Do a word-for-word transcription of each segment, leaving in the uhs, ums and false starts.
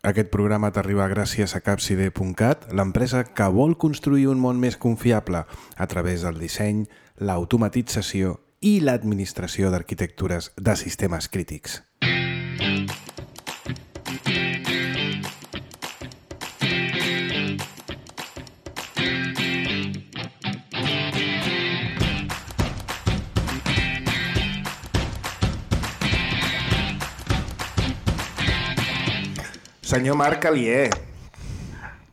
Aquest programa t'arriba gràcies a capside punt cat, l'empresa que vol construir un món més confiable a través del disseny, l'automatització i l'administració d'arquitectures de sistemes crítics. Senyor Marc Alier.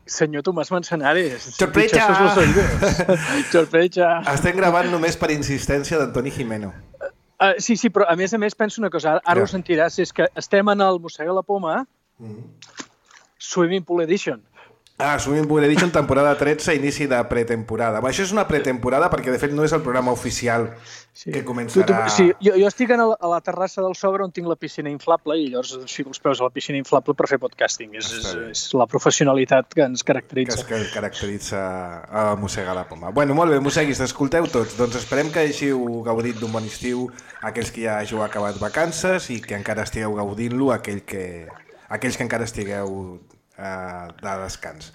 Senyor Tomàs Manzanares. Sorpresa! Sorpresa! Estem gravant només per insistència d'Antoni Gimeno. Uh, sí, sí, però a més a més penso una cosa, ara ja. Ho sentiràs, és que estem en el Mossega la Poma, mm-hmm. Swimming Pool Edition. Ah, Swimming Pool Edition, temporada tretze, inici de pretemporada. Això és una pretemporada perquè, de fet, no és el programa oficial sí. que començarà... Tu, tu, sí, jo, jo estic a la, a la terrassa del Sogre on tinc la piscina inflable i llavors fico els peus a la piscina inflable per fer podcasting. És, és, és la professionalitat que ens caracteritza. Que es caracteritza a Mossega la Poma. Bueno, molt bé, mosseguis, escolteu tots. Doncs esperem que hàgiu gaudit d'un bon estiu, aquells que ja hàgiu acabat vacances i que encara estigueu gaudint-lo, aquell que... aquells que encara estigueu de descans.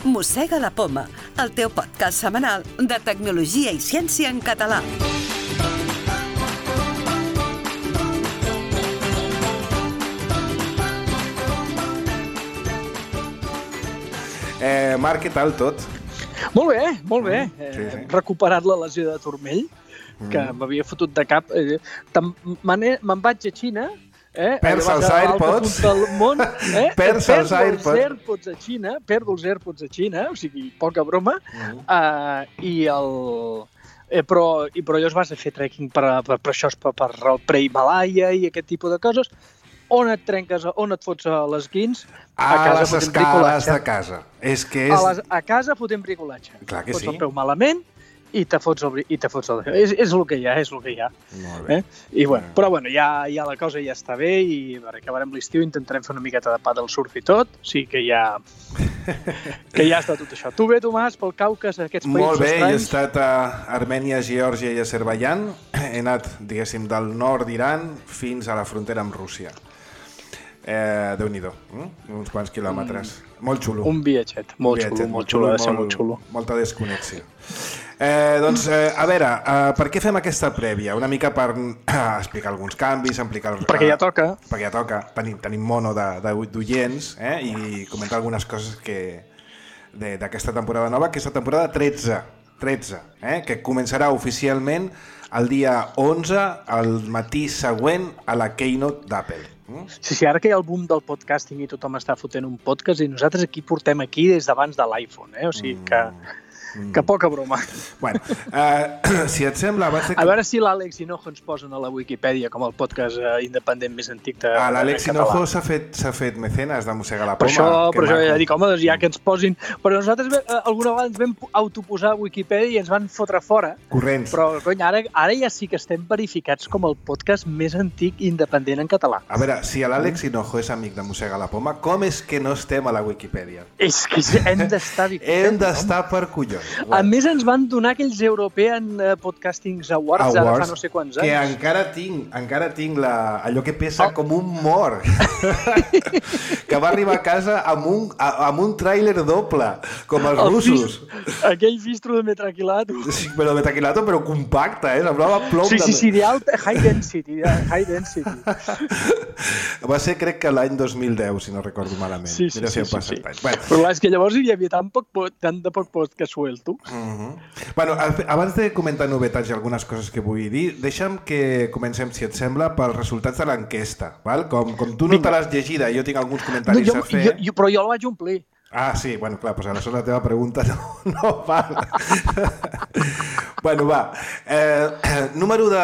Mossega la Poma, el teu podcast setmanal de tecnologia i ciència en català. Eh, Marc, què tal tot? Molt bé, molt bé. Mm, sí, sí. He recuperat la lesió de turmell, que mm. m'havia fotut de cap. Eh, Me'n vaig a Xina, eh? Perds els AirPods. Del món, eh? Perds els AirPods. els AirPods a Xina, perdo els AirPods a Xina, o sigui, poca broma, mm. uh, i el... Eh, però, i, però llavors vas a fer trekking per, per, per això, per, per el pre-Himalaya i aquest tipus de coses. On et trenques, on et fots a les guins? A, a casa les escales de casa. És que és... A, les, a casa fotem bricolatge. Clar que fots sí. el peu malament i te fots el... I te fots el... És, és el que hi ha, és el que hi ha. Molt bé. Eh? I, bueno, però bueno, ja, ja la cosa ja està bé i per acabarem l'estiu intentarem fer una miqueta de pa del surf i tot. O sigui que ja... que ja està tot això. Tu bé, Tomàs, pel Caucas, aquests països Molt bé, estranys? He estat a Armènia, Geòrgia i Azerbaidjan. He anat, diguéssim, del nord d'Iran fins a la frontera amb Rússia. Eh, Déu-n'hi-do, mm? uns quants quilòmetres. Mm. Molt xulo. Un viatget, molt un viatget, xulo, molt xulo, ha de ser molt xulo. Molta desconnexió. Eh, doncs, eh, a veure, eh, per què fem aquesta prèvia? Una mica per eh, explicar alguns canvis, explicar... Perquè ja toca. Perquè ja toca, tenim, tenim mono d'oients eh, i comentar algunes coses que d'aquesta temporada nova, que és la temporada tretze, tretze eh, que començarà oficialment el dia onze, al matí següent a la Keynote d'Apple. Sí, sí, ara que hi ha el boom del podcasting i tothom està fotent un podcast i nosaltres aquí portem aquí des d'abans de l'iPhone, eh? O sigui que... Mm. Que poca broma. Bueno, uh, si et sembla... De... A veure si l'Àlex Hinojo ens posen a la Wikipedia com el podcast uh, independent més antic de ah, l'Àlex Hinojo s'ha fet, s'ha fet mecenes de Mossega la Poma. Per això, per això ja dic, home, doncs ja que ens posin... Però nosaltres uh, alguna vegada ens vam autoposar a Wikipedia i ens van fotre fora. Corrents. Però, cony, ara, ara ja sí que estem verificats com el podcast més antic independent en català. A veure, si l'Àlex Hinojo és amic de Mossega la Poma, com és que no estem a la Wikipedia? És que hem d'estar... Hem d'estar per collons. A més, ens van donar aquells European Podcasting Awards, Awards ara fa no sé quants anys. Que encara tinc, encara tinc la, allò que pesa oh. com un mort. Que va arribar a casa amb un, amb un tràiler doble, com els el russos. Fist, aquell fistro de metraquilato. Sí, però de metraquilato, però compacte, eh? Semblava plom. Sí, sí, sí, d'alta, high density, high density. Va ser, crec que l'any dos mil deu, si no recordo malament. Sí, sí, Mira sí. si sí, sí. Bueno. Però és que llavors hi havia tan, poc, tant de poc podcast suelto. Uh-huh. Bueno, abans de comentar novetats i algunes coses que vull dir, deixa'm que comencem, si et sembla, pels resultats de l'enquesta. Com, com tu no te l'has llegida i jo tinc alguns comentaris no, jo, a fer... Jo, jo, però jo el vaig omplir. Ah, sí, bueno, clar, doncs aleshores la teva pregunta no, no val. Bueno, va. Eh, número de...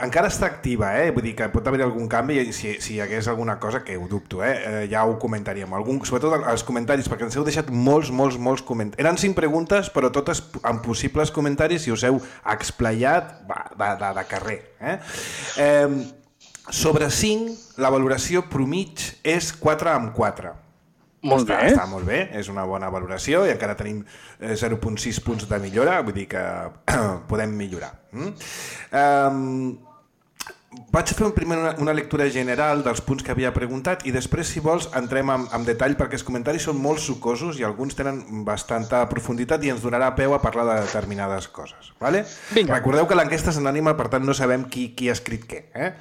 Encara està activa, eh? Vull dir que pot haver algun canvi i si, si hi hagués alguna cosa, que ho dubto, eh? eh ja ho comentaríem. Algun, sobretot als comentaris, perquè ens heu deixat molts, molts, molts comentaris. Eren cinc preguntes, però totes amb possibles comentaris i us heu explayat va, de, de, de carrer. Eh? Eh, sobre cinc, la valoració promig és quatre amb quatre. Molt està, bé. Està molt bé, és una bona valoració i encara tenim zero coma sis punts de millora, vull dir que podem millorar. Mm? Um, Vaig fer primer una, una lectura general dels punts que havia preguntat i després, si vols, entrem en, en detall perquè els comentaris són molt sucosos i alguns tenen bastanta profunditat i ens donarà peu a parlar de determinades coses. Vale? Recordeu que l'enquesta és anònima, per tant no sabem qui, qui ha escrit què. Eh?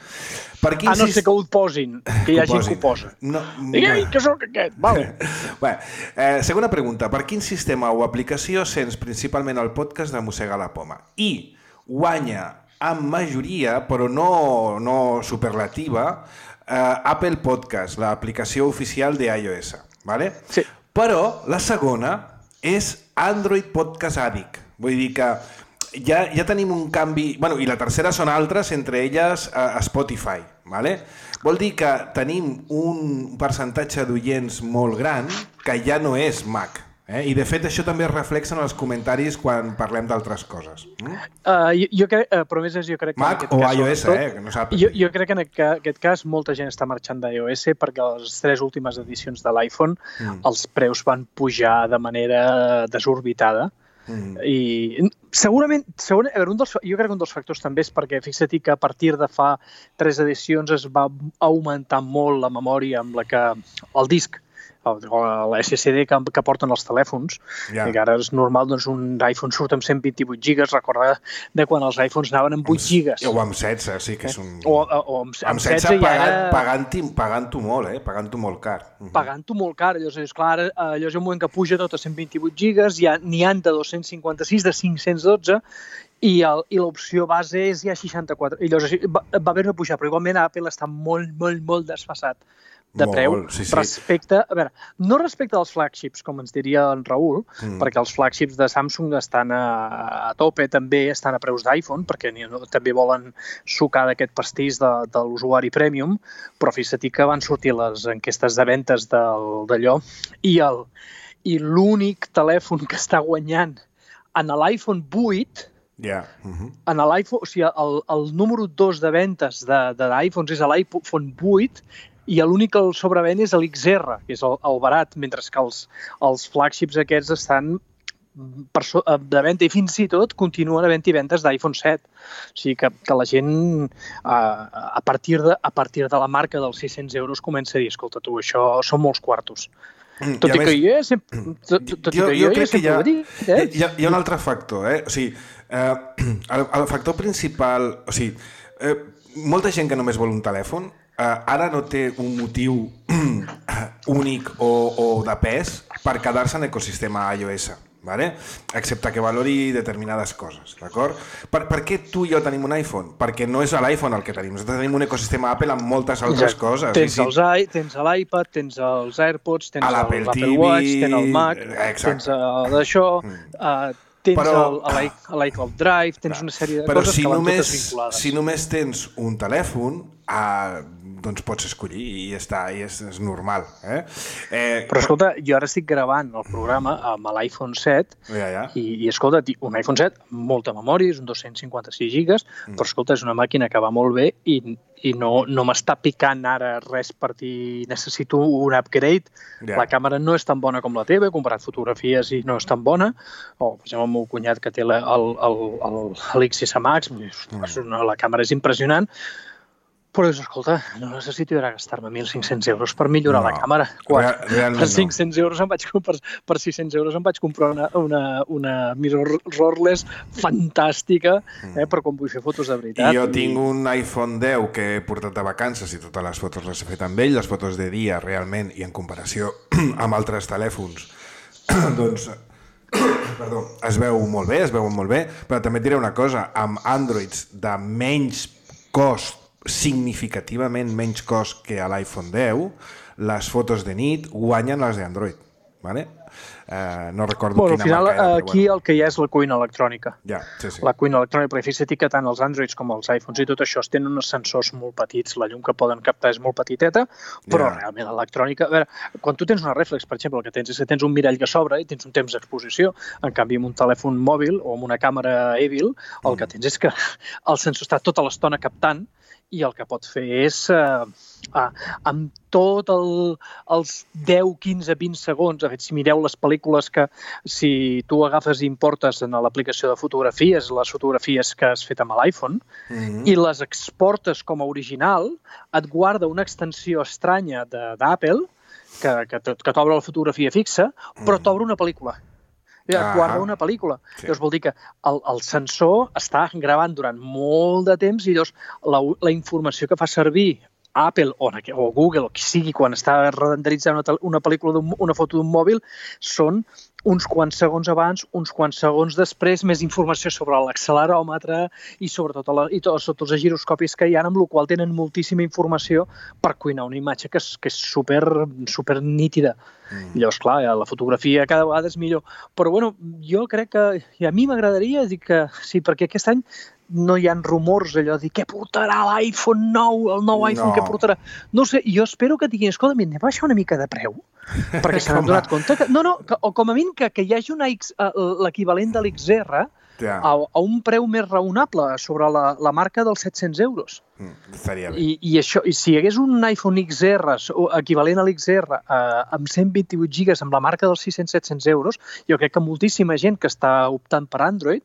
Per quin ah, no sé que ho posin, que hi ha gent que ho posa. No, Ei, que sóc aquest, vale. Bé, eh, segona pregunta. Per quin sistema o aplicació sents principalment el podcast de Mossegar la Poma? I guanya amb majoria, però no, no superlativa, eh, Apple Podcast, l'aplicació oficial d'iOS. ¿Vale? Sí. Però la segona és Android Podcast Addict. Vull dir que ja, ja tenim un canvi... Bueno, i la tercera són altres, entre elles eh, Spotify. ¿Vale? Vol dir que tenim un percentatge d'oients molt gran que ja no és Mac. Eh? I de fet això també es reflexa en els comentaris quan parlem d'altres coses. Mm? Uh, jo, jo crec, uh, però més és, jo crec que Mac en aquest o cas, iOS, tot, eh? Que no sap. Jo, jo crec que en aquest cas molta gent està marxant d'iOS perquè les tres últimes edicions de l'iPhone mm. els preus van pujar de manera desorbitada. Mm. I segurament, segurament un dels, jo crec que un dels factors també és perquè fixa't que a partir de fa tres edicions es va augmentar molt la memòria amb la que el disc la S S D que, que porten els telèfons, yeah. I que ara és normal, doncs un iPhone surt amb cent vint-i-vuit gigas, recorda de quan els iPhones anaven amb vuit gigas. O amb setze, sí que és un... O, o, o amb, amb setze, setze pagant, ara... pagant-ho pagant molt, eh? Pagant-ho molt car. Uh-huh. Pagant-ho molt car, allò és clar, allò és un moment que puja tot a cent vint-i-vuit gigas, n'hi ha de dos-cents cinquanta-sis, de cinc-cents dotze, i, el, i l'opció base és ja seixanta-quatre. I llavors va, va haver de pujar, però igualment Apple està molt, molt, molt desfasat de preu, molt, sí, sí. respecte, a veure, no respecte als flagships, com ens diria en Raül, mm. perquè els flagships de Samsung estan a, a tope, també estan a preus d'iPhone, perquè no, també volen sucar d'aquest pastís de, de l'usuari premium, però fixa't que van sortir les enquestes de ventes d'allò, i el i l'únic telèfon que està guanyant en l'iPhone vuit, yeah. uh-huh. en l'iPhone, o sigui, el, el número dos de ventes de, de l'iPhone és l'iPhone vuit, i l'únic que el sobrevent és l'X R, que és el, el barat, mentre que els, els flagships aquests estan per so, de venda i fins i tot continuen havent-hi ventes d'iPhone set. O sigui que, que la gent a, a, partir de, a partir de la marca dels sis-cents euros comença a dir, escolta tu, això són molts quartos. Tot i, i que jo sempre, tot, tot jo, i que jo, jo sempre ho dic. Eh? Hi, ha, hi ha un altre factor, eh? O sigui, eh, el, el factor principal, o sigui, eh, molta gent que només vol un telèfon, Uh, ara no té un motiu únic o, o de pes per quedar-se en l'ecosistema iOS, ¿vale? Excepte que valori determinades coses, d'acord? Per, per què tu i jo tenim un iPhone? Perquè no és l'iPhone el que tenim, nosaltres tenim un ecosistema Apple amb moltes altres ja, coses. Tens, els i, tens l'iPad, tens els AirPods, tens l'Apple Watch, tens el Mac, exacte. Tens d'això... Mm. Uh, tens però, l'iCloud Drive, tens una sèrie de coses si que van només, totes vinculades. Si només tens un telèfon, ah, doncs pots escollir i ja està, i és, és normal. Eh? Eh, però escolta, jo ara estic gravant el programa amb l'iPhone set ja, ja. I, i escolta, un iPhone set amb molta memòria, és un dos-cents cinquanta-sis gigas, mm. però escolta, és una màquina que va molt bé i, i no, no m'està picant ara res per dir necessito un upgrade. Ja. La càmera no és tan bona com la teva, he comparat fotografies i no és tan bona. O, per exemple, el meu cunyat que té l'X S Max, mm. la càmera és impressionant, però dius, escolta, no necessito ara gastar-me mil cinc-cents euros per millorar no, la càmera. Quan Real, per cinc-cents no. euros em vaig, per, per sis-cents euros em vaig comprar una, una, una mirrorless fantàstica eh, per quan vull fer fotos de veritat. I jo tinc un iPhone deu que he portat de vacances i totes les fotos les he fet amb ell, les fotos de dia realment i en comparació amb altres telèfons, doncs... Perdó, es veu molt bé, es veuen molt bé, però també et diré una cosa, amb Androids de menys cost, significativament menys cost que a l'iPhone deu, les fotos de nit guanyen les d'Android, ¿vale? Eh, no recordo bueno, quina final, marca era, aquí bueno. El que hi ha és la cuina electrònica. Ja, sí, sí. La cuina electrònica, perquè fixa't que tant els Androids com els iPhones i tot això tenen uns sensors molt petits, la llum que poden captar és molt petiteta, però ja. Realment l'electrònica... A veure, quan tu tens una reflex, per exemple, el que tens és que tens un mirall que s'obre i tens un temps d'exposició, en canvi amb un telèfon mòbil o amb una càmera Evil, el mm. que tens és que el sensor està tota l'estona captant i el que pot fer és, eh, eh, amb tot el, els deu, quinze, vint segons, de fet, si mireu les pel·lícules que si tu agafes i importes en l'aplicació de fotografies, les fotografies que has fet amb l'iPhone, mm-hmm. i les exportes com a original, et guarda una extensió estranya d'Apple que, que, que t'obre la fotografia fixa, però mm. t'obre una pel·lícula. Et ah, guarda una pel·lícula. Sí. Llavors vol dir que el, el sensor està gravant durant molt de temps i llavors la, la informació que fa servir Apple o, o Google, o qui sigui, quan està renderitzant una, una pel·lícula, una foto d'un mòbil, són uns quants segons abans, uns quants segons després, més informació sobre l'acceleròmetre i sobretot la, i tots, tots els giroscopis que hi ha, amb la qual tenen moltíssima informació per cuinar una imatge que és, que és super, super nítida. Mm. Llavors, clar, la fotografia cada vegada és millor. Però, bueno, jo crec que... I a mi m'agradaria dir que sí, perquè aquest any no hi ha rumors allò de dir què portarà l'iPhone nou, el nou iPhone no. que portarà. No sé, jo espero que diguin, escolta, anem a baixar una mica de preu, perquè se n'han donat compte que... No, no, que, o com a mínim que, que hi hagi una X, l'equivalent de l'X R ja. a, a un preu més raonable sobre la, la marca dels set-cents euros. Mm, estaria bé. I, i, això, I si hi hagués un iPhone X R equivalent a l'X R eh, amb cent vint-i-vuit gigas amb la marca dels sis-cents set-cents euros, jo crec que moltíssima gent que està optant per Android,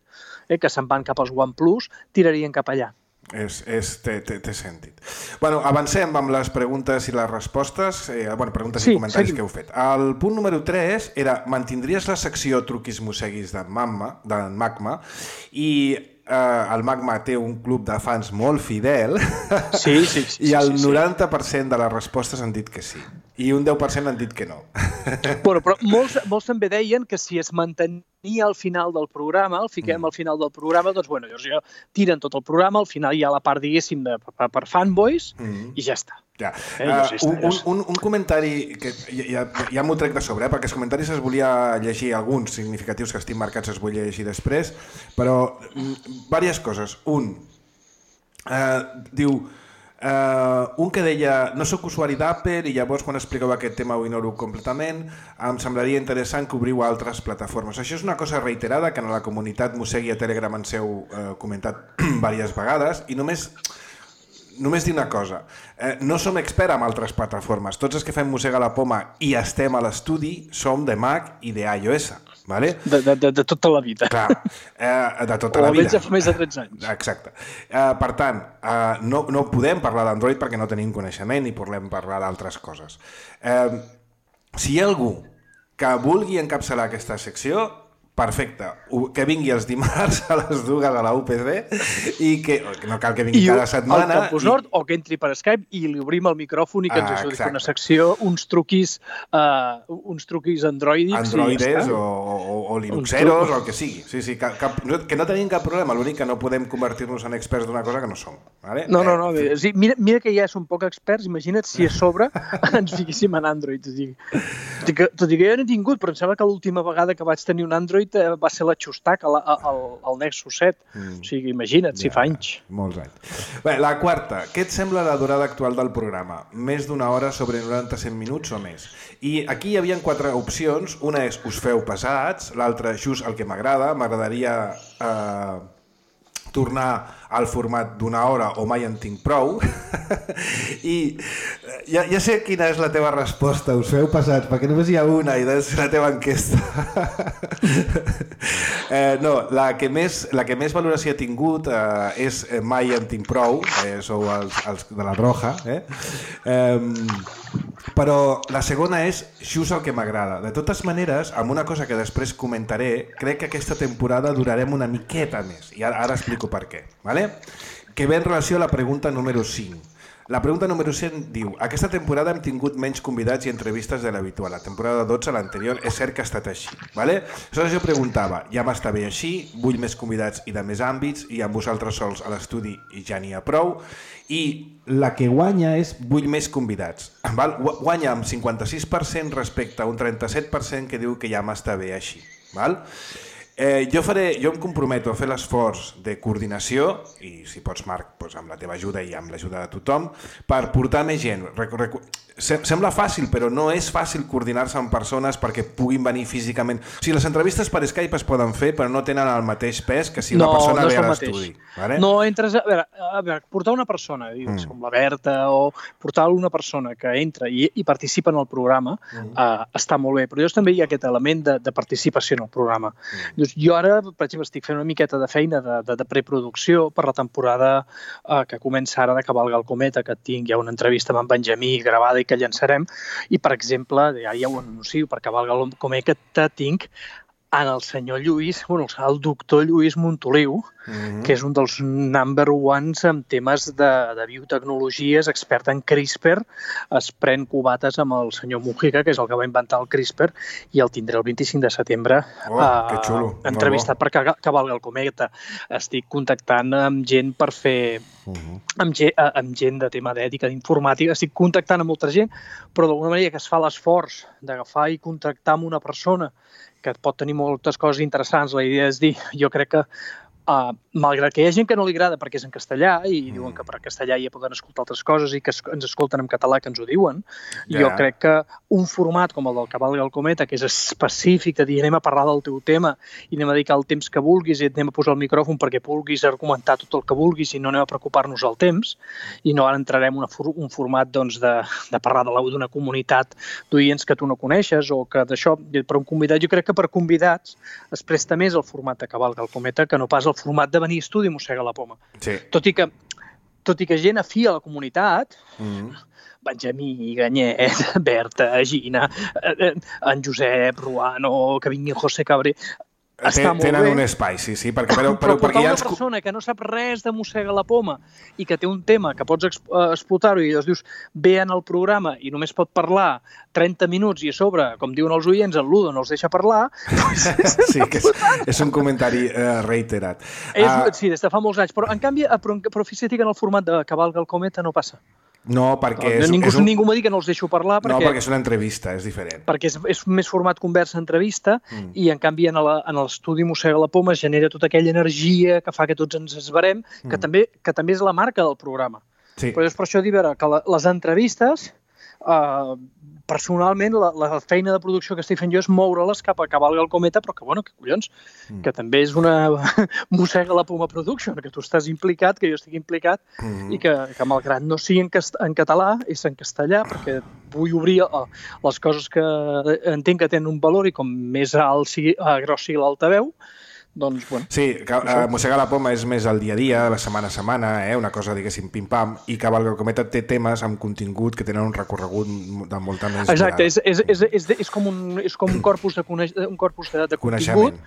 eh, que se'n van cap als OnePlus, tirarien cap allà. És, és, té, té, té sentit. Bueno, avancem amb les preguntes i les respostes, eh, bueno, preguntes sí, i comentaris seguim. Que heu fet. El punt número tres era, mantindries la secció truquis mosseguis d'en Magma, d'en Magma i eh, el Magma té un club de fans molt fidel sí, sí, sí, i el sí, sí. noranta per cent de les respostes han dit que sí i un deu per cent han dit que no. Bueno, però molts, molts també deien que si es mantenia al final del programa, el fiquem mm. al final del programa, doncs bueno, llavors ja tiren tot el programa, al final hi ha la part, diguéssim, de, per, per fanboys mm. i ja està. Ja. Eh, uh, un, un, un, un comentari que ja, ja m'ho trec de sobre, eh, perquè els comentaris es volia llegir, alguns significatius que estic marcats es volia llegir després, però diverses coses. Un, eh, diu... Uh, un que deia, no sóc usuari d'Apple i llavors quan expliqueu aquest tema ho ignoro completament, em semblaria interessant que obriu altres plataformes. Això és una cosa reiterada que en la comunitat Mossegui a Telegram ens heu uh, comentat diverses vegades i només només dir una cosa, eh, no som experts en altres plataformes, tots els que fem Mossega la Poma i estem a l'estudi som de Mac i d'iOS. Vale? De, de, de, de tota la vida. Clar, eh, de tota la vida. O almenys fa més de tretze anys. Exacte. Eh, per tant, eh, no, no podem parlar d'Android perquè no tenim coneixement i podem parlar d'altres coses. Eh, si hi ha algú que vulgui encapçalar aquesta secció, perfecte, que vingui els dimarts a les dues a la U P C i que no cal que vingui I cada setmana. Al Campus Nord, i... o que entri per Skype i li obrim el micròfon i que ens ah, ajudi a fer una secció, uns truquis, uh, uns truquis androidics. Androides ja o, o, o linuxeros o el que sigui. Sí, sí, cap, cap, que no tenim cap problema, l'únic que no podem convertir-nos en experts d'una cosa que no som. Vale? No, no, no. Eh, sí, mira, mira que ja som poc experts, imagina't si a sobre ens fiquéssim en Android. Tot i que, tot i que jo no he tingut, però em sembla que l'última vegada que vaig tenir un Android va ser la Xustac al, al, al Nexus set. Mm. O sigui, imagina't, ja, si fa anys. Molts anys. Bé, la quarta. Què et sembla la durada actual del programa? Més d'una hora sobre noranta a cent minuts o més? I aquí hi havia quatre opcions. Una és us feu pesats, l'altra just el que m'agrada. M'agradaria eh, tornar al format d'una hora o mai en tinc prou. I ja, ja sé quina és la teva resposta, us feu pesats, perquè només hi ha una i és la teva enquesta. eh, no, la que, més, la que més valoració ha tingut eh, és mai en tinc prou, eh, sou els, els de la Roja, eh? Eh, però la segona és just el que m'agrada. De totes maneres, amb una cosa que després comentaré, crec que aquesta temporada durarem una miqueta més, i ara, ara explico per què, vale? Que ve en relació a la pregunta número cinc. La pregunta número cinc diu: aquesta temporada hem tingut menys convidats i entrevistes de l'habitual. La temporada dotze, l'anterior, és cert que ha estat així. Vale? Aleshores jo preguntava, ja m'està bé així, vull més convidats i de més àmbits, i amb vosaltres sols a l'estudi ja n'hi ha prou. I la que guanya és vull més convidats. Val? Guanya amb cinquanta-sis per cent respecte a un trenta-set per cent que diu que ja m'està bé així. Val? Eh, jo, faré, jo em comprometo a fer l'esforç de coordinació, i si pots, Marc, doncs amb la teva ajuda i amb l'ajuda de tothom, per portar més gent. Recu- recu- sembla fàcil, però no és fàcil coordinar-se amb persones perquè puguin venir físicament. O sigui, les entrevistes per Skype es poden fer, però no tenen el mateix pes que si una no, persona no ve a l'estudi. Vale? No entres... A veure, a veure portar una persona, mm. com la Berta, o portar una persona que entra i, i participa en el programa, mm. uh, està molt bé, però llavors també hi ha aquest element de, de participació en el programa. Mm. Llavors, jo ara, per exemple, estic fent una miqueta de feina de, de, de preproducció per la temporada uh, que comença ara de Cavalga el Cometa, que tinc ja una entrevista amb en Benjamí gravada i que llançarem, i per exemple, ja, ja ho anuncio, per Cavalga el Cometa tinc en el senyor Lluís, bueno, el doctor Lluís Montoliu, mm-hmm. que és un dels number ones en temes de, de biotecnologies, expert en CRISPR, es pren cubates amb el senyor Mujica, que és el que va inventar el CRISPR, i el tindré el vint-i-cinc de setembre oh, que xulo. entrevistat per Cavalga el Cometa. Estic contactant amb gent per fer... Uh-huh. amb, gent, amb gent de tema d'ètica, d'informàtica, estic contactant amb molta gent, però d'alguna manera que es fa l'esforç d'agafar i contactar amb una persona que pot tenir moltes coses interessants. La idea és dir, jo crec que Uh, malgrat que hi ha gent que no li agrada perquè és en castellà i mm. diuen que per castellà ja poden escoltar altres coses i que es, ens escolten en català que ens ho diuen, yeah. jo crec que un format com el del Cavalga el Cometa, que és específic de dir anem a parlar del teu tema i anem a dedicar el temps que vulguis i anem a posar el micròfon perquè vulguis argumentar tot el que vulguis i no anem a preocupar-nos del temps i no ara entrarem en una, un format doncs, de, de parlar d'una comunitat d'oients que tu no coneixes o que d'això, per un convidat, jo crec que per convidats es presta més el format de Cavalga el Cometa que no pas el format de venir a estudi i mossegar la poma. Sí. Tot i que, tot i que gent afí a la comunitat, mm-hmm. Benjamí, Ganyet, Berta, Gina, en Josep, Ruano, que vingui José Cabré... Està molt tenen bé. un espai, sí, sí, perquè, però, però, però, perquè una ja ens... persona que no sap res de mossegar la poma i que té un tema que pots explotar-ho i llavors dius, ve en el programa i només pot parlar trenta minuts i a sobre, com diuen els oients, el Ludo no els deixa parlar... sí, que és, és un comentari uh, reiterat. És, uh... Sí, des de fa molts anys, però en canvi, però, però fixa't que en el format de Cavalga el Cometa no passa. No, perquè... No, és, ningú, és un... ningú m'ha dit que no els deixo parlar perquè... No, perquè és una entrevista, és diferent. Perquè és, és més format conversa-entrevista mm. i, en canvi, en l'estudi Mossega la Poma es genera tota aquella energia que fa que tots ens esverem, mm. que, també, que també és la marca del programa. Sí. Però és per això dir, veure, que la, les entrevistes... Uh, personalment, la, la feina de producció que estic fent jo és moure-les cap a Cavalga el Cometa, però que, bueno, que collons, mm. que també és una mossega la poma production, que tu estàs implicat, que jo estic implicat, mm. i que, que malgrat no sigui en, cast en català, és en castellà, perquè vull obrir uh, les coses que entenc que tenen un valor i com més alt sigui, uh, gros sigui l'altaveu, doncs, bueno... Sí, uh, mossegar la poma és més el dia a dia, la setmana a setmana, eh? Una cosa, diguéssim, pim-pam, i Cavalga el Cometa té temes amb contingut que tenen un recorregut de molta més... Exacte, és, és, és, és, és, com un, és com un corpus de, coneix, un corpus de, de contingut,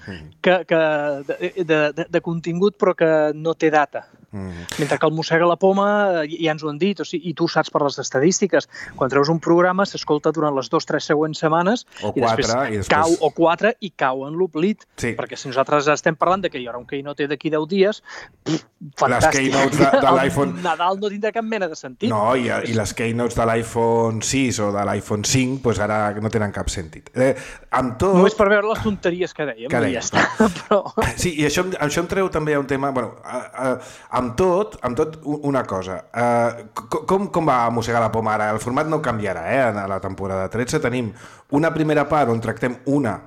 que, que, de, de, de, de contingut però que no té data. Mm. Mentre que el mossega la poma, ja ens ho han dit, o sigui, i tu saps per les estadístiques, quan treus un programa s'escolta durant les dues o tres següents setmanes o i, quatre, després i després cau o quatre i cau en l'oblit, sí. perquè si nosaltres estem parlant de que hi haurà un keynote d'aquí deu dies, pff, fantàstic. Les keynotes de, de l'iPhone... Nadal no tindrà cap mena de sentit. No, i, i les keynotes de l'iPhone sis o de l'iPhone cinc, doncs ara no tenen cap sentit. Eh, amb tot... Només per veure les tonteries que dèiem, que i ja està. Però... Sí, i això, això em treu també a un tema... Bueno, a, a, amb tot, amb tot una cosa. Uh, com, com va mossegar la poma ara? El format no canviarà, eh? A la temporada tretze tenim una primera part on tractem una,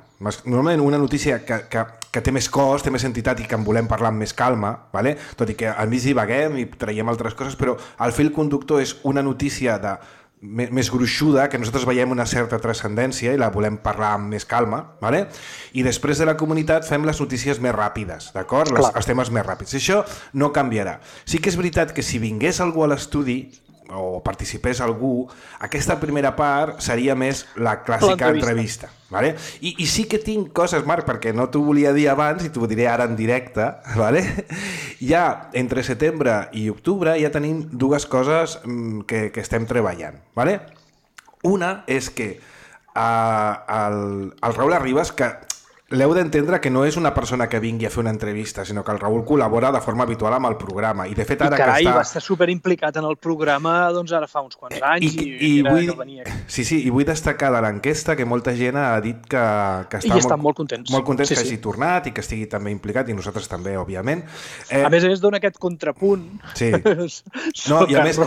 normalment una notícia que, que, que té més cos, té més entitat i que en volem parlar amb més calma, vale? Tot i que al mig divaguem i traiem altres coses, però el fil conductor és una notícia de més gruixuda, que nosaltres veiem una certa transcendència i la volem parlar amb més calma, vale? I després de la comunitat fem les notícies més ràpides, d'acord? Les, els temes més ràpids. Això no canviarà. Sí que és veritat que si vingués algú a l'estudi o participés algú, aquesta primera part seria més la clàssica entrevista. Vale? I, I sí que tinc coses, Marc, perquè no t'ho volia dir abans i t'ho diré ara en directe. Vale? Ja entre setembre i octubre ja tenim dues coses que, que estem treballant. Vale? Una és que uh, el, el Raül Arribas, que l'heu d'entendre que no és una persona que vingui a fer una entrevista, sinó que el Raül col·labora de forma habitual amb el programa. I, de fet, ara I carai, que està... va estar superimplicat en el programa doncs ara fa uns quants anys i, i, i, i era vull... que venia. Sí, sí, i vull destacar de l'enquesta que molta gent ha dit que, que està I estan molt, molt contents. molt contents sí, que sí. hagi tornat i que estigui també implicat, i nosaltres també, òbviament. Eh... A més a més, dona aquest contrapunt. Sí. No, i a més,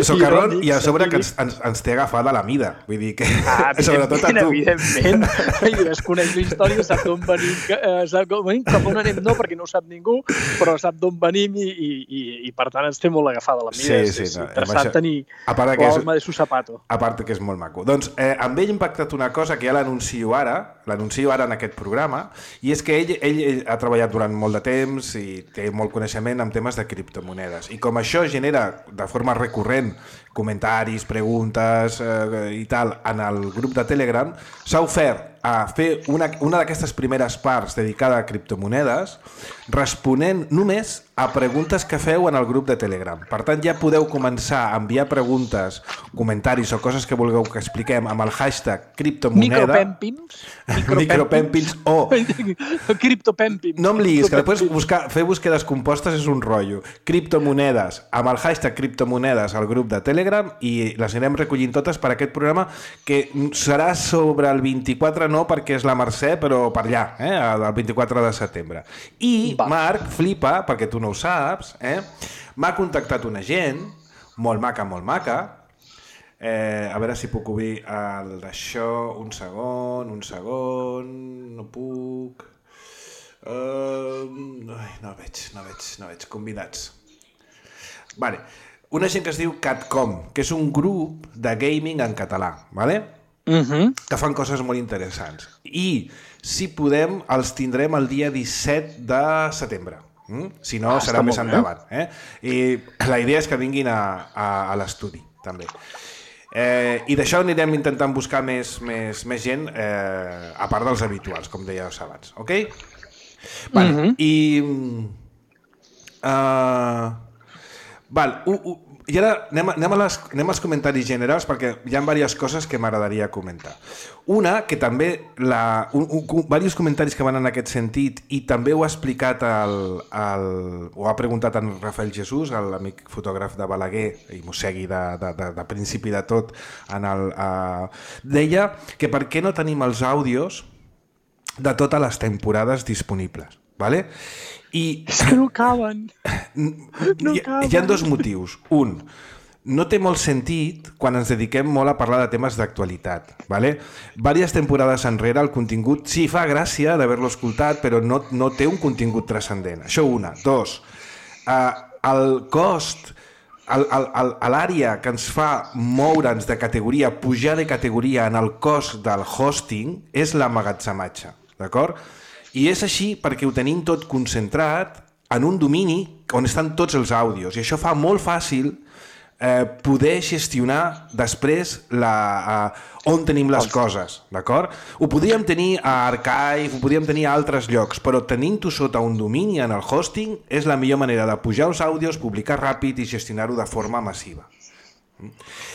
socarrón i a sobre que ens, ens, ens té agafada la mida. Vull dir que... Ah, sobretot a tu. Evidentment. I es coneix la història, sap d'on venim, eh, sap d'on venim, cap on anem no, perquè no ho sap ningú, però sap d'on venim i, i, i, i per tant ens té molt agafada la mida. Sí, sí, és no, interessant això... tenir l'alma de su zapato. A part que és molt maco. Doncs eh, amb ell ha impactat una cosa que ja l'anuncio ara, l'anuncio ara en aquest programa, i és que ell, ell, ell ha treballat durant molt de temps i té molt coneixement en temes de criptomonedes. I com això genera de forma recurrent comentaris, preguntes eh, i tal en el grup de Telegram, s'ha ofert a fer una, una d'aquestes primeres parts dedicada a criptomonedes responent només a preguntes que feu en el grup de Telegram. Per tant, ja podeu començar a enviar preguntes, comentaris o coses que vulgueu que expliquem amb el hashtag criptomoneda. Micropèmpims. Micropèmpims o... Criptopèmpims. No em liguis, que després buscar, fer búsquedes compostes és un rotllo. Criptomonedes, amb el hashtag criptomonedes al grup de Telegram, i les anirem recollint totes per aquest programa que serà sobre el vint-i-quatre, no perquè és la Mercè, però per allà, eh, el vint-i-quatre de setembre. I Va. Marc flipa, perquè tu no ho saps, eh, m'ha contactat una gent, molt maca, molt maca, eh, a veure si puc obrir el d'això, un segon, un segon, no puc... Uh, ai, no veig, no veig, no veig, convidats. Vale. Una gent que es diu Catcom, que és un grup de gaming en català, vale? Uh-huh. Que fan coses molt interessants. I, si podem, els tindrem el dia disset de setembre. Mm? Si no, ah, serà més endavant. Eh? I la idea és que vinguin a, a, a l'estudi, també. Eh, I d'això anirem intentant buscar més, més, més gent, eh, a part dels habituals, com dèieu abans. Ok? Vale. Uh-huh. I... Uh, val, uh, uh, I ara anem, anem, a les, anem als comentaris generals perquè hi ha diverses coses que m'agradaria comentar. Una, que també la, un, un, diversos comentaris que van en aquest sentit i també ho ha explicat el, el, ho ha preguntat en Rafael Jesús, l'amic fotògraf de Balaguer, i m'ho segui de, de, de, de principi de tot, en el, uh, deia que per què no tenim els àudios de totes les temporades disponibles, ¿vale? I és que no caben. No hi, caben. Hi ha dos motius. Un, no té molt sentit quan ens dediquem molt a parlar de temes d'actualitat. ¿Vale? Vàries temporades enrere el contingut sí fa gràcia d'haver-lo escoltat, però no, no té un contingut transcendent. Això una. Dos, eh, el cost, l'àrea que ens fa moure'ns de categoria, pujar de categoria en el cost del hosting és l'emmagatzematge. D'acord? I és així perquè ho tenim tot concentrat en un domini on estan tots els àudios i això fa molt fàcil eh, poder gestionar després la, eh, on tenim les coses, d'acord? Ho podríem tenir a Archive, ho podríem tenir a altres llocs, però tenint-ho sota un domini en el hosting és la millor manera de pujar els àudios, publicar ràpid i gestionar-ho de forma massiva.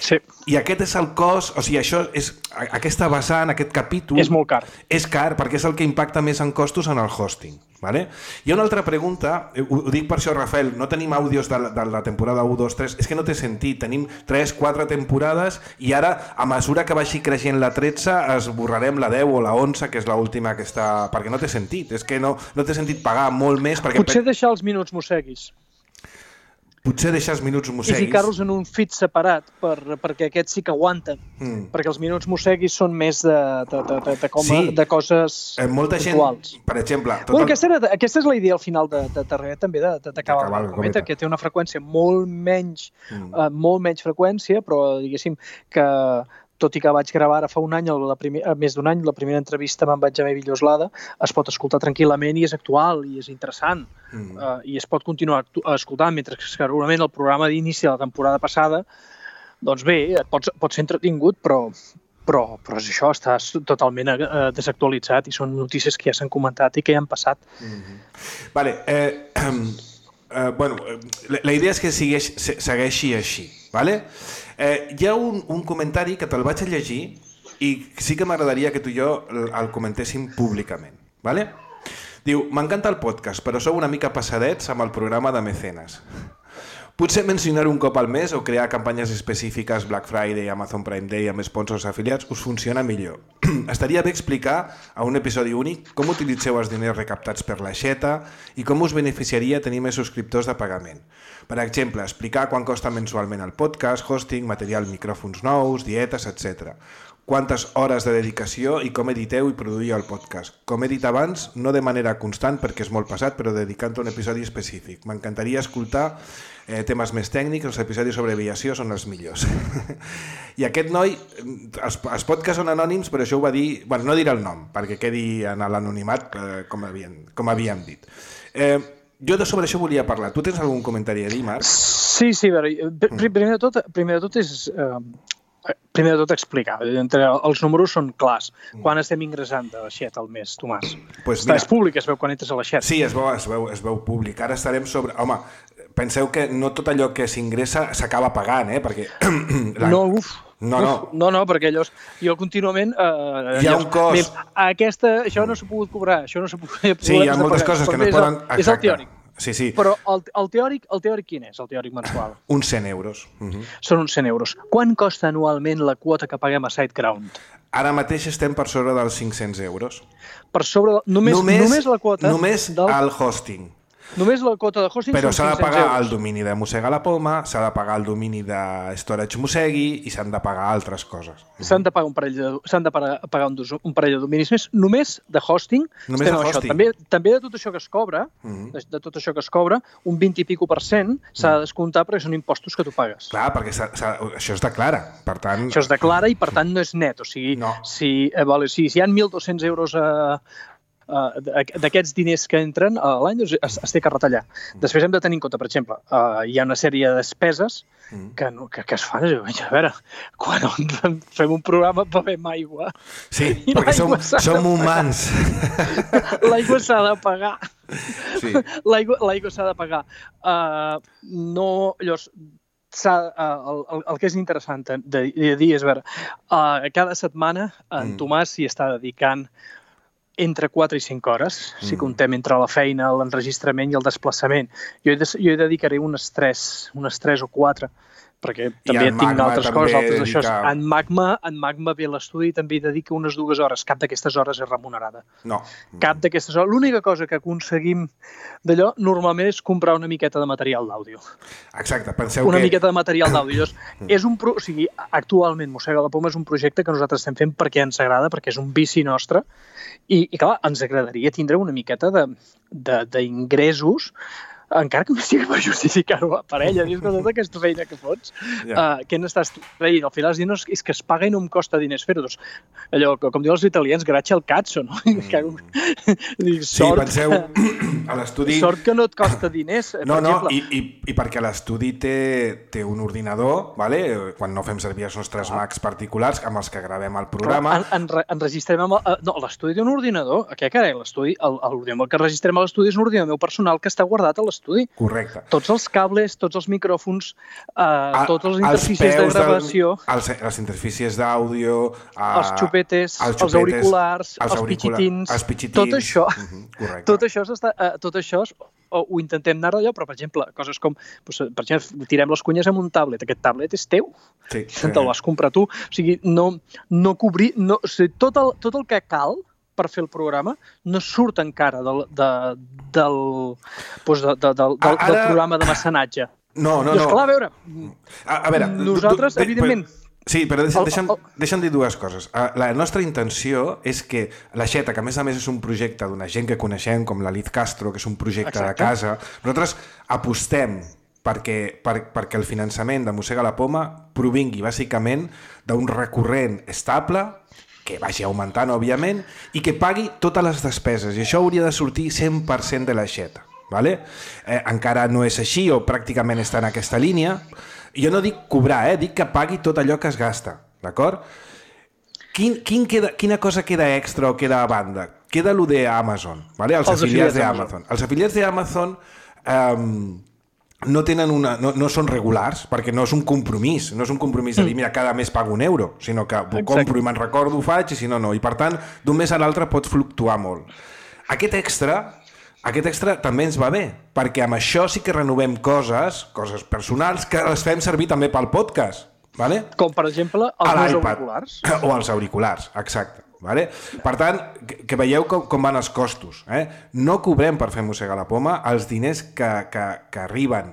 Sí. I aquest és el cost, o sigui, això és, aquesta vessant, aquest capítol... És molt car. És car perquè és el que impacta més en costos en el hosting. Vale? Hi ha una altra pregunta, ho, ho dic per això, Rafael, no tenim àudios de la, de la temporada u, dos, tres, és que no té sentit, tenim tres, quatre temporades i ara, a mesura que vagi creixent la tretze, esborrarem la deu o la onze, que és l'última que està... perquè no té sentit, és que no, no té sentit pagar molt més perquè... Potser deixar els minuts mosseguis. Potser deixar els minuts mosseguis... I ficar-los en un feed separat, per, perquè aquests sí que aguanten. Mm. Perquè els minuts mosseguis són més de, de, de, de, de, com, sí. de coses eh, molta puntuals. Gent, per exemple... Tot bueno, el... aquesta, era, aquesta és la idea al final de, de Terrer, també, d'acabar la cometa, que té una freqüència molt menys, mm. uh, molt menys freqüència, però diguéssim que... tot i que vaig gravar ara fa un any, la primer, més d'un any, la primera entrevista amb en Benjamí Villoslada, es pot escoltar tranquil·lament i és actual i és interessant. Mm. Uh, I es pot continuar escoltant, mentre que segurament el programa d'inici de la temporada passada, doncs bé, pot, pot ser entretingut, però, però, però és això, està totalment uh, desactualitzat i són notícies que ja s'han comentat i que ja han passat. Mm-hmm. Vale, eh, eh, bueno, la, la idea és que segueix, segueixi així, vale? Eh, hi ha un, un comentari que te'l vaig a llegir i sí que m'agradaria que tu i jo el, el comentéssim públicament. Vale? Diu, m'encanta el podcast, però sou una mica passadets amb el programa de mecenes. Potser mencionar un cop al mes o crear campanyes específiques Black Friday, Amazon Prime Day amb sponsors afiliats us funciona millor. Estaria bé explicar a un episodi únic com utilitzeu els diners recaptats per l'aixeta i com us beneficiaria tenir més subscriptors de pagament. Per exemple, explicar quan costa mensualment el podcast, hosting, material, micròfons nous, dietes, etcètera. Quantes hores de dedicació i com editeu i produïu el podcast. Com he dit abans, no de manera constant perquè és molt pesat, però dedicant un episodi específic. M'encantaria escoltar eh, temes més tècnics, els episodis sobre aviació són els millors. I aquest noi, els, els podcasts són anònims, però això ho va dir... Bueno, no diré el nom, perquè quedi en l'anonimat, eh, com, havien, com havíem dit. Eh, jo de sobre això volia parlar. Tu tens algun comentari a dir, Marc? Sí, sí, a veure, primer de tot, primer de tot és... Eh, Primer de tot explicar, entre els números són clars. Quan estem ingressant de l'aixeta al mes, Tomàs? Pues mira, és públic, es veu quan entres a l'aixeta. Sí, es veu, es, veu, es veu públic. Ara estarem sobre... Home, penseu que no tot allò que s'ingressa s'acaba pagant, eh? Perquè... No, uf. No, no. Uf, no, no, perquè allò... Jo contínuament... Eh, hi ha un cost. Mira, aquesta, això no s'ha pogut cobrar, això no s'ha pogut... Sí, hi ha moltes coses que no es poden... És el teòric. Sí, sí. Però el, el, teòric, el teòric quin és, el teòric mensual? Uns cent euros. Uh -huh. Són uns cent euros. Quan costa anualment la quota que paguem a SiteGround? Ara mateix estem per sobre dels cinc-cents euros. Per sobre... Només, només, només la quota... Només del... el hosting. Només la quota de hosting però són s'ha de pagar euros. El domini de Mossega la Poma, s'ha de pagar el domini de Storage Mossegui i s'han de pagar altres coses. S'han de pagar un parell de, s'han de pagar, pagar un, un parell de dominis més, només de hosting. Només de hosting. Això. També, també de tot això que es cobra, uh-huh. de, de tot això que es cobra, un vint i pico per cent s'ha de descomptar perquè són impostos que tu pagues. Clar, perquè s'ha, s'ha, això es declara, per tant... Això es declara i per tant no és net, o sigui, no. si, eh, vale, si, si hi ha mil dos-cents euros a... Uh, d'aquests diners que entren a l'any doncs es, es té que retallar. Després hem de tenir en compte, per exemple, uh, hi ha una sèrie de despeses que, no, que, que es fan. A veure, quan fem un programa bevem aigua. Sí, perquè som, som humans. L'aigua s'ha de pagar. Sí. L'aigua, l'aigua s'ha de pagar. Uh, no, llavors, Uh, el, el, el que és interessant de, de dir és, a veure, uh, cada setmana en Tomàs s'hi està dedicant entre quatre i cinc hores, mm. si comptem entre la feina, l'enregistrament i el desplaçament. Jo hi, de, jo hi dedicaré unes tres, unes tres o quatre, perquè també tinc Magma, altres coses, altres dedica... això. En Magma, en Magma ve l'estudi i també hi dedica unes dues hores. Cap d'aquestes hores és remunerada. No. Cap d'aquestes hores. L'única cosa que aconseguim d'allò normalment és comprar una miqueta de material d'àudio. Exacte, penseu una que... Una miqueta de material d'àudio. és un pro... o sigui, actualment Mossega la Poma és un projecte que nosaltres estem fent perquè ens agrada, perquè és un vici nostre, i, i clar, ens agradaria tindre una miqueta d'ingressos, encara que no sigui per justificar-ho per ella, dius que tota aquesta feina que fots, yeah. uh, què n'estàs traient? Al final no és, és que es paga i no em costa diners fer-ho. Doncs, allò, com diuen els italians, grazie al cazzo, no? Mm. Dic, sort, sí, penseu, a l'estudi... Sort que no et costa diners, no, per no, exemple. I, i, i perquè l'estudi té, té un ordinador, vale? Quan no fem servir els nostres ah. Macs particulars, amb els que gravem el programa... En, en, enregistrem amb... El, no, l'estudi té un ordinador. Què carai, l'estudi? L'ordinador que registrem a l'estudi és un ordinador personal que està guardat a l'estudi. Correcte. Tots els cables, tots els micròfons, eh, tots els interfícies de gravació... Del, els, les interfícies d'àudio... Eh, els xupetes, els, xupetes, els auriculars, els, els auricula, pitxitins, els pitxitins... Tot això, uh-huh, tot això, eh, tot això ho, ho intentem anar d'allò, però, per exemple, coses com... Doncs, per exemple, tirem les cunyes amb un tablet. Aquest tablet és teu. Sí. Te'l vas comprar tu. O sigui, no, no cobrir... No, o sigui, tot, el, tot el que cal per fer el programa no surt encara del, de, del, doncs de, de, del, del, Ara... del programa de mecenatge. No, no, doncs, no. Clar, a veure, a, a veure nosaltres, tu, tu, evidentment... Sí, però deixa'm, deixa'm, deixa'm dir dues coses. La nostra intenció és que l'Aixeta, que a més a més és un projecte d'una gent que coneixem, com la Liz Castro, que és un projecte Exacte. de casa, nosaltres apostem perquè, per, perquè el finançament de Mossega la Poma provingui bàsicament d'un recurrent estable, que vagi augmentant, òbviament, i que pagui totes les despeses. I això hauria de sortir cent per cent de l'aixeta. Vale? Eh, encara no és així, o pràcticament està en aquesta línia. Jo no dic cobrar, eh? Dic que pagui tot allò que es gasta. D'acord? Quin, quin queda, quina cosa queda extra o queda a banda? Queda allò d'Amazon, vale? Els, els afiliats d'Amazon. Els afiliats d'Amazon... Eh, no tenen una, no, no són regulars, perquè no és un compromís, no és un compromís de dir, mira, cada mes pago un euro, sinó que ho compro i me'n recordo, ho faig, i si no, no. I per tant, d'un mes a l'altre pot fluctuar molt. aquest extra, aquest extra també ens va bé, perquè amb això sí que renovem coses, coses personals, que les fem servir també pel podcast. Vale? Com, per exemple, els meus auriculars. O els auriculars, exacte. Vale? Per tant, que, que veieu com, com van els costos. Eh? No cobrem per fer mossegar la poma els diners que, que, que arriben.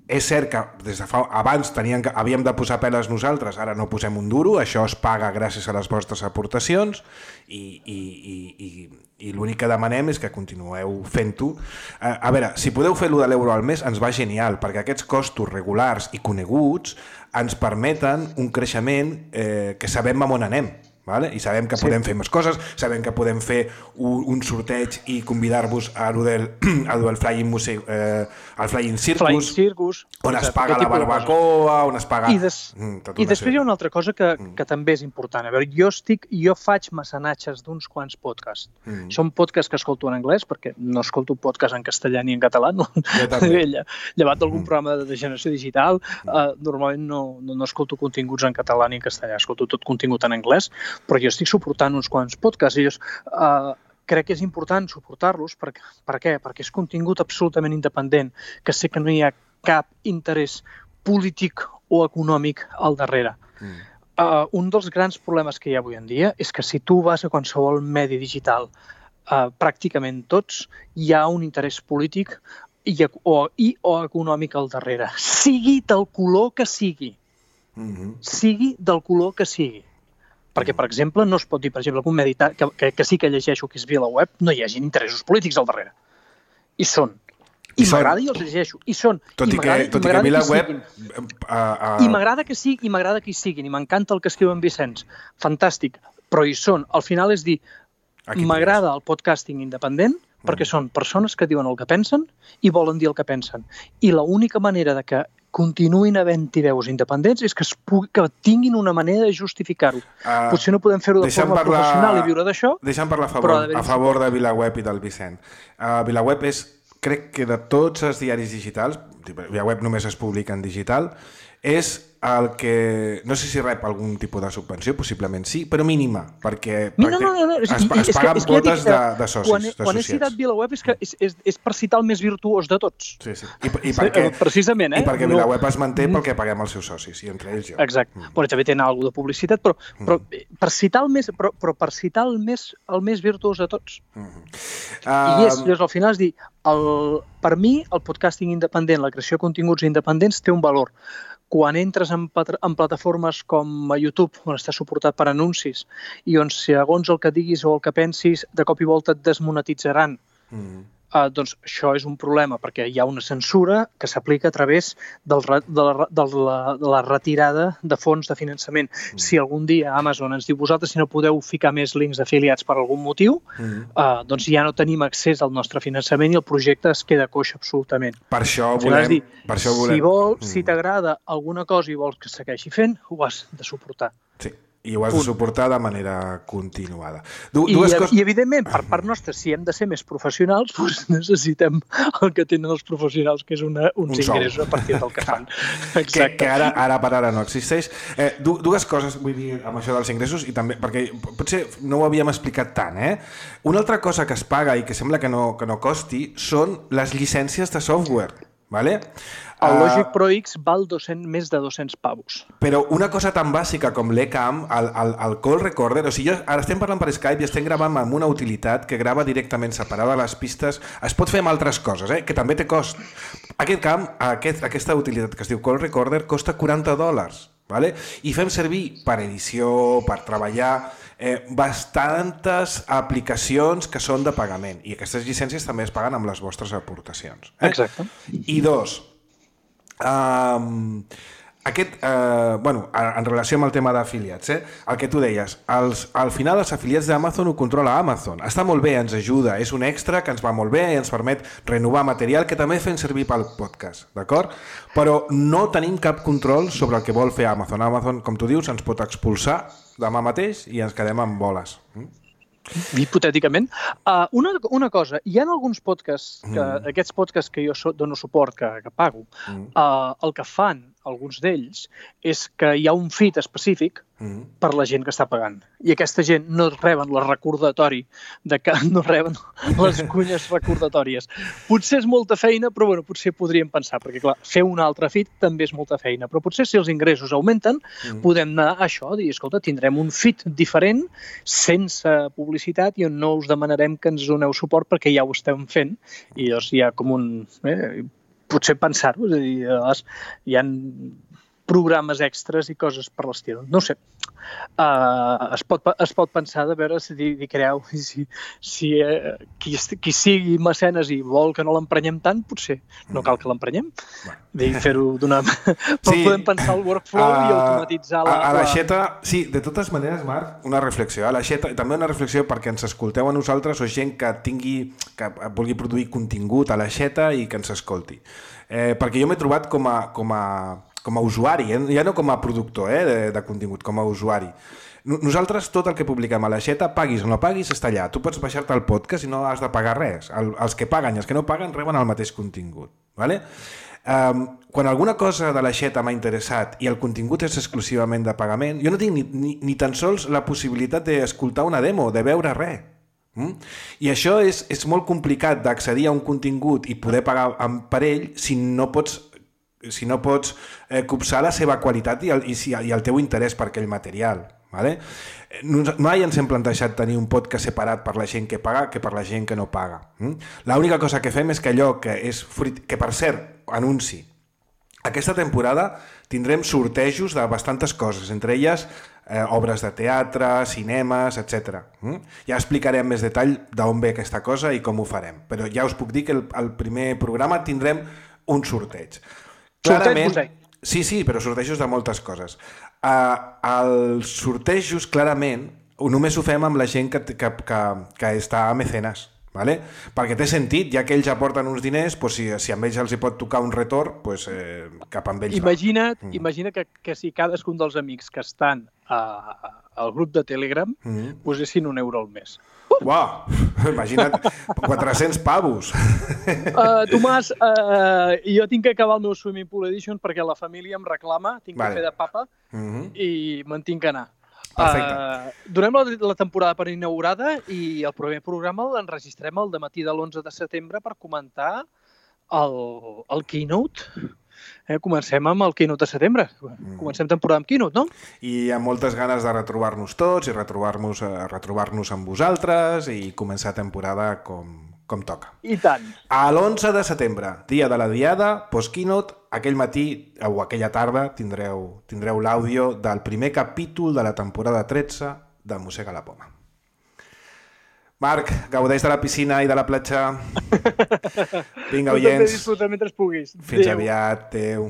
És cert que des de fa, abans teníem que, havíem de posar peles nosaltres, ara no posem un duro, això es paga gràcies a les vostres aportacions i, i, i, i, i l'únic que demanem és que continueu fent-ho. A, a veure, si podeu fer-lo de l'euro al mes ens va genial, perquè aquests costos regulars i coneguts ens permeten un creixement eh, que sabem a on anem. Vale? I sabem que sí. podem fer més coses, sabem que podem fer un, un sorteig i convidar-vos a lo del, a lo del Flying, Muse, eh, al Flying Circus, Flying Circus on es paga la barbacoa, on es paga... I, des, mm, i després hi ha una altra cosa que, que també és important. A veure, jo, estic, jo faig mecenatges d'uns quants podcasts. Mm. Són podcasts que escolto en anglès, perquè no escolto podcast en castellà ni en català. No? Llevat d'algun mm. programa de generació digital, mm. eh, normalment no, no, no escolto continguts en català ni en castellà, escolto tot contingut en anglès, però jo estic suportant uns quants podcasts i jo uh, crec que és important suportar-los. Per, per què? Perquè és contingut absolutament independent, que sé que no hi ha cap interès polític o econòmic al darrere. Mm. Uh, un dels grans problemes que hi ha avui en dia és que si tu vas a qualsevol medi digital, uh, pràcticament tots, hi ha un interès polític i, o, i o econòmic al darrere. Sigui del color que sigui. Mm-hmm. Sigui del color que sigui. Perquè, per exemple, no es pot dir, per exemple, que un medi que, que, que sí que llegeixo, que és VilaWeb, no hi hagi interessos polítics al darrere. I són. I, I m'agrada i els llegeixo. I són. Tot i, i que, tot i que VilaWeb... Uh, uh... I m'agrada que sí, i m'agrada que hi siguin, i m'encanta el que escriu en Vicenç. Fantàstic. Però hi són. Al final és dir, m'agrada el podcasting independent, mm. perquè són persones que diuen el que pensen i volen dir el que pensen. I l'única manera de que continuïn havent-hi veus independents és que, es pugui, que tinguin una manera de justificar-ho. Uh, Potser no podem fer-ho de forma parlar, professional i viure d'això. Deixa'm parlar a favor, a favor de VilaWeb i del Vicent. Uh, VilaWeb és, crec que de tots els diaris digitals, VilaWeb només es publica en digital, és el que... No sé si rep algun tipus de subvenció, possiblement sí, però mínima, perquè no, no, no, no. es, es paguen quotes de, de socis, quan, d'associats. Quan he citat VilaWeb és, que és, és, és per citar el més virtuós de tots. Sí, sí. I, i perquè, precisament, eh? I perquè VilaWeb es manté pel que paguem els seus socis, i entre ells jo. Exacte. Mm. Però també tenen alguna de publicitat, però, però, per citar el més, però, però per citar el més, el més virtuós de tots. Mm. Uh... I és, llavors, al final és dir, el, per mi, el podcasting independent, la creació de continguts independents té un valor. Quan entres en, en plataformes com a YouTube, on està suportat per anuncis, i on segons el que diguis o el que pensis, de cop i volta et desmonetitzaran, mm. eh, doncs això és un problema, perquè hi ha una censura que s'aplica a través del, de, la, de, la, de la retirada de fons de finançament. Mm. Si algun dia Amazon ens diu vosaltres si no podeu ficar més links afiliats per algun motiu, mm. eh, doncs ja no tenim accés al nostre finançament i el projecte es queda coix absolutament. Per això volem... Dir, per això volem... Si, vol, mm. si t'agrada alguna cosa i vols que segueixi fent, ho has de suportar. Sí. I ho has Punt. de suportar de manera continuada. Du I, dues coses... I, evidentment, per part nostra, si hem de ser més professionals, doncs necessitem el que tenen els professionals, que és una, uns un ingressos a partir del que fan. que, que ara, ara per ara no existeix. Eh, du, dues coses, vull dir, amb això dels ingressos, i també, perquè potser no ho havíem explicat tant, eh? Una altra cosa que es paga i que sembla que no, que no costi són les llicències de software. Vale? El Logic Pro X val dos-cents, més de dos-cents pavos. Però una cosa tan bàsica com l'E-Cam, el, el, el call recorder, o sigui, jo, ara estem parlant per Skype i estem gravant amb una utilitat que grava directament separada les pistes. Es pot fer amb altres coses, eh? Que també té cost. Aquest camp, aquest, aquesta utilitat que es diu call recorder, costa quaranta dòlars. Vale? I fem servir per edició, per treballar, eh, bastantes aplicacions que són de pagament. I aquestes llicències també es paguen amb les vostres aportacions. Eh? Exacte. I dos, um, aquest, eh, bueno, en relació amb el tema d'afiliats, eh, el que tu deies, els, al final els afiliats d'Amazon ho controla Amazon. Està molt bé, ens ajuda, és un extra que ens va molt bé i ens permet renovar material que també fem servir pel podcast, d'acord? Però no tenim cap control sobre el que vol fer Amazon. Amazon, com tu dius, ens pot expulsar demà mateix i ens quedem amb boles. Mm? Hipotèticament. Uh, una, una cosa, hi ha alguns podcasts, que, mm. aquests podcasts que jo so, dono suport, que, que pago, mm. uh, el que fan, alguns d'ells, és que hi ha un feed específic mm. per la gent que està pagant. I aquesta gent no reben el recordatori, de que no reben les cunyes recordatòries. Potser és molta feina, però bueno, potser podríem pensar, perquè clar, fer un altre feed també és molta feina, però potser si els ingressos augmenten, mm. podem anar a això, dir, escolta, tindrem un feed diferent, sense publicitat, i on no us demanarem que ens doneu suport perquè ja ho estem fent, i llavors hi ha com un... Eh, potser pensar-ho, és a dir, hi ha programes extras i coses per l'estil. No ho sé. Uh, es, pot, es pot pensar de veure si hi creu, si, si eh, qui, qui sigui mecenes i vol que no l'emprenyem tant, potser no cal que l'emprenyem. Bueno. Fer-ho d'una... Però sí. Podem pensar el workflow uh, i automatitzar la... A, a l'aixeta, sí, de totes maneres, Marc, una reflexió. A l'aixeta, també una reflexió perquè ens escolteu a nosaltres o gent que tingui, que vulgui produir contingut a l'aixeta i que ens escolti. Eh, perquè jo m'he trobat com a... Com a com a usuari, eh? Ja no com a productor eh? de, de contingut, com a usuari. Nosaltres tot el que publiquem a l'aixeta, paguis o no paguis, està allà. Tu pots baixar-te el podcast i no has de pagar res. El, els que paguen i els que no paguen reben el mateix contingut. Vale? Um, quan alguna cosa de l'aixeta m'ha interessat i el contingut és exclusivament de pagament, jo no tinc ni, ni, ni tan sols la possibilitat d'escoltar una demo, de veure res. Mm? I això és, és molt complicat d'accedir a un contingut i poder pagar per ell si no pots si no pots eh, copsar la seva qualitat i el, i, si, i el teu interès per aquell material. Vale? Mai ens hem plantejat tenir un podcast separat per la gent que paga que per la gent que no paga. Mm? L'única cosa que fem és que allò que és fruit, que per cert, anunci, aquesta temporada tindrem sortejos de bastantes coses, entre elles eh, obres de teatre, cinemes, etcètera. Mm? Ja explicaré amb més detall d'on ve aquesta cosa i com ho farem, però ja us puc dir que el, el primer programa tindrem un sorteig. Clarament, sí, sí, però sortejos de moltes coses. Uh, els sortejos, clarament, només ho fem amb la gent que, que, que, que està a mecenes, ¿vale? Perquè té sentit, ja que ells aporten uns diners, pues, si, si amb ells els hi pot tocar un retorn, pues, eh, cap amb ells imagina't, va. Imagina que, que si cadascun dels amics que estan a, al grup de Telegram mm. posessin un euro al mes. Uau, imagina't, quatre-cents pavos. Uh, Tomàs, uh, jo tinc que acabar el meu Swimming Pool Edition perquè la família em reclama, tinc vale. que fer de papa mm-hmm. i me'n tinc que anar. Perfecte. Uh, donem la, la temporada per inaugurada i el primer programa l'enregistrem el dematí de l'onze de setembre per comentar el, el Keynote. Eh, comencem amb el Keynote de setembre. Comencem temporada amb Keynote, no? I amb moltes ganes de retrobar-nos tots i retrobar-nos uh, retrobar-nos amb vosaltres i començar temporada com, com toca. I tant. A l'onze de setembre, dia de la diada, post-Keynote, aquell matí o aquella tarda tindreu, tindreu l'àudio del primer capítol de la temporada tretze de Mossega la Poma. Marc, gaudeix de la piscina i de la platja. Vinga, oients. Disfruta mentre puguis. Fins aviat. Adéu.